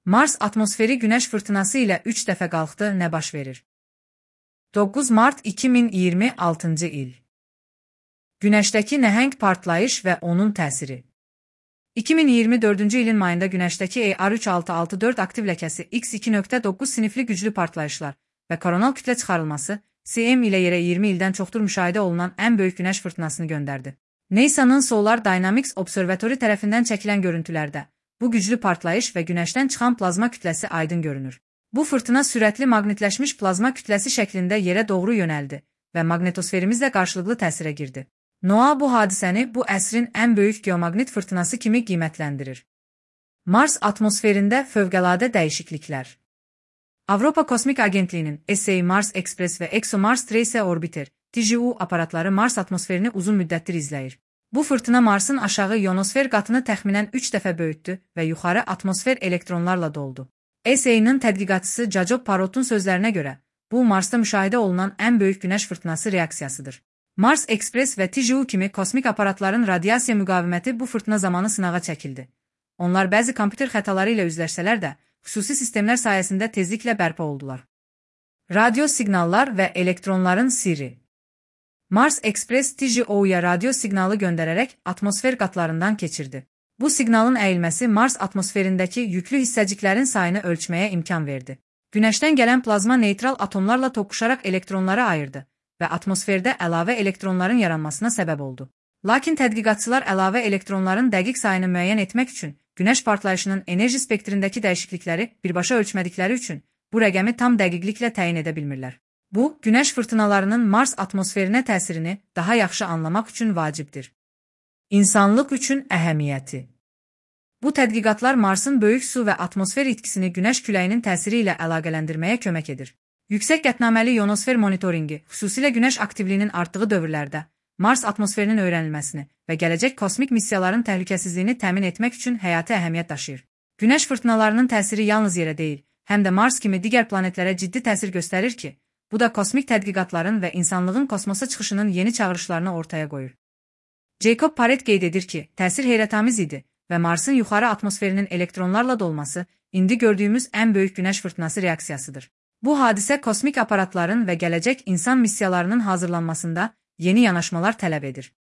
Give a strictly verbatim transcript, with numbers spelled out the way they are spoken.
Mars atmosferi Günəş fırtınası ilə üç dəfə qalxdı, nə baş verir? doqquz mart iki min iyirmi altıncı il. Günəşdəki nəhəng partlayış və onun təsiri. iki min iyirmi dördüncü ilin mayında Günəşdəki E R üç altı altı dörd aktiv ləkəsi X iki nöqtə doqquz sinifli güclü partlayışlar və koronal kütlə çıxarılması C M ilə yerə iyirmi ildən çoxdur müşahidə olunan ən böyük günəş fırtınasını göndərdi. NASA'nın Solar Dynamics Observatory tərəfindən çəkilən görüntülərdə bu güclü partlayış və Günəşdən çıxan plazma kütləsi aydın görünür. Bu fırtına sürətli maqnitləşmiş plazma kütləsi şəklində yerə doğru yönəldi və maqnitosferimizlə qarşılıqlı təsirə girdi. NOAA bu hadisəni bu əsrin ən böyük geomaqnit fırtınası kimi qiymətləndirir. Mars atmosferində fövqəladə dəyişikliklər. Avropa Kosmik Agentliyinin S A Mars Express və ExoMars Trace Orbiter T J U aparatları Mars atmosferini uzun müddətdir izləyir. Bu fırtına Marsın aşağı ionosfer qatını təxminən üç dəfə böyütdü və yuxarı atmosfer elektronlarla doldu. S A-nın tədqiqatçısı Jacob Parrot'un sözlərinə görə, bu Marsda müşahidə olunan ən böyük günəş fırtınası reaksiyasıdır. Mars Express və T J U kimi kosmik aparatların radiasiya müqaviməti bu fırtına zamanı sınağa çəkildi. Onlar bəzi kompüter xətaları ilə üzləşsələr də, xüsusi sistemlər sayəsində tezliklə bərpa oldular. Radio siqnallar və elektronların sirri. Mars Express T J O-ya radio siqnalı göndərərək atmosfer qatlarından keçirdi. Bu siqnalın əyilməsi Mars atmosferindəki yüklü hissəciklərin sayını ölçməyə imkan verdi. Günəşdən gələn plazma neytral atomlarla toqquşaraq elektronları ayırdı və atmosferdə əlavə elektronların yaranmasına səbəb oldu. Lakin tədqiqatçılar əlavə elektronların dəqiq sayını müəyyən etmək üçün Günəş partlayışının enerji spektrindəki dəyişiklikləri birbaşa ölçmədikləri üçün bu rəqəmi tam dəqiqliklə təyin edə bilmirlər. Bu, Günəş fırtınalarının Mars atmosferinə təsirini daha yaxşı anlamaq üçün vacibdir. İnsanlıq üçün əhəmiyyəti. Bu tədqiqatlar Marsın böyük su və atmosfer itkisini Günəş küləyinin təsiri ilə əlaqələndirməyə kömək edir. Yüksək qətnaməli ionosfer monitoringi, xüsusilə Günəş aktivliyinin artdığı dövrlərdə, Mars atmosferinin öyrənilməsini və gələcək kosmik missiyaların təhlükəsizliyini təmin etmək üçün həyati əhəmiyyət daşıyır. Günəş fırtınalarının təsiri yalnız yerə deyil, həm də Mars kimi digər planetlərə ciddi təsir göstərir ki, bu da kosmik tədqiqatların və insanlığın kosmosa çıxışının yeni çağırışlarını ortaya qoyur. Jacob Parrot qeyd edir ki, təsir heyrətamiz idi və Marsın yuxarı atmosferinin elektronlarla dolması indi gördüyümüz ən böyük günəş fırtınası reaksiyasıdır. Bu hadisə kosmik aparatların və gələcək insan missiyalarının hazırlanmasında yeni yanaşmalar tələb edir.